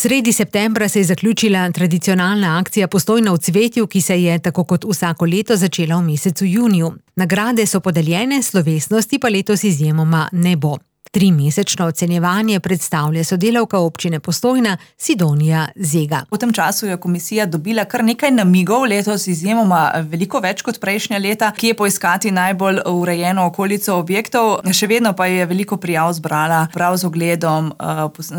Sredi septembra se je zaključila tradicionalna akcija Postojna v cvetju, ki se je, tako kot vsako leto, začela v mesecu juniju. Nagrade so podeljene, slovesnosti pa letos izjemoma ne bo. 3-mesečno ocenjevanje predstavlja sodelavka občine Postojna Sidonija Zega. V tem času je komisija dobila kar nekaj namigov, letos izjemoma veliko več kot prejšnja leta, kje poiskati najbolj urejeno okolico objektov. Še vedno pa je veliko prijav zbrala prav z ogledom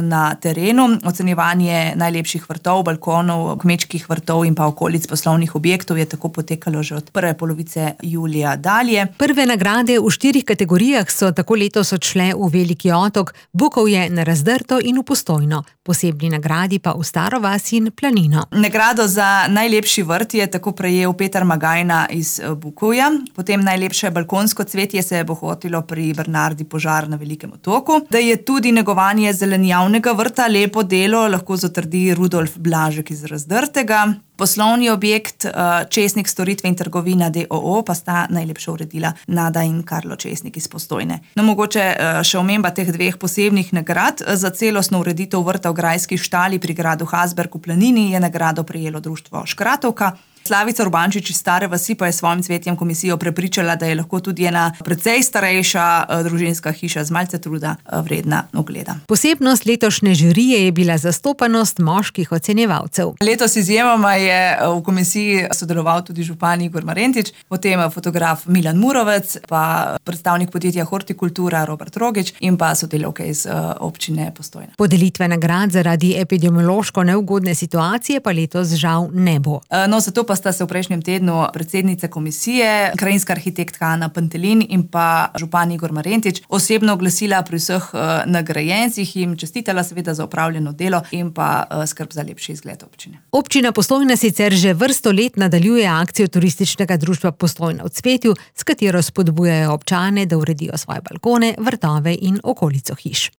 na terenu. Ocenjevanje najlepših vrtov, balkonov, kmečkih vrtov in pa okolic poslovnih objektov je tako potekalo že od prve polovice julija dalje. Prve nagrade v 4 kategorijah so tako letos odšle v Veliki Otok, Bukovje, na Razdrto in v Postojno. Posebni nagradi pa v Staro vas in Planino. Nagrado za najlepši vrt je tako prejel Peter Magajna iz Bukovja. Potem najlepše balkonsko cvetje se je bohotilo pri Bernardi Požar na Velikem Otoku. Da je tudi negovanje zelenjavnega vrta lepo delo, lahko zatrdi Rudolf Blažek iz Razdrtega. Poslovni objekt Česnik storitve in trgovina d.o.o. pa sta najlepše uredila Nada in Karlo Česnik iz Postojne. No, mogoče še omemba teh 2 posebnih nagrad. Za celostno ureditev vrta v grajski štali pri gradu Hasberg v Planini je nagrado prejelo društvo Škratovka. Slavica Urbančič iz Stare vasi pa je s svojim cvetjem komisijo prepričala, da je lahko tudi ena precej starejša družinska hiša z malce truda vredna ogleda. Posebnost letošnje žirije je bila zastopanost moških ocenjevalcev. Letos izjemoma je v komisiji sodeloval tudi župan Igor Marentič, potem fotograf Milan Murovec, pa predstavnik podjetja Hortikultura Robert Rogič in pa sodelavke iz občine Postojna. Podelitve nagrad zaradi epidemiološko neugodne situacije pa letos žal ne bo. Zato pa sta se v prejšnjem tednu predsednica komisije, krajinska arhitektka Ana Pantelin in pa župan Igor Marentič osebno oglasila pri vseh nagrajencih, jim čestitala seveda za opravljeno delo in pa skrb za lepši izgled občine. Občina Postojna sicer že vrsto let nadaljuje akcijo turističnega društva Postojna v cvetju, s katero spodbujajo občane, da uredijo svoje balkone, vrtove in okolico hiš.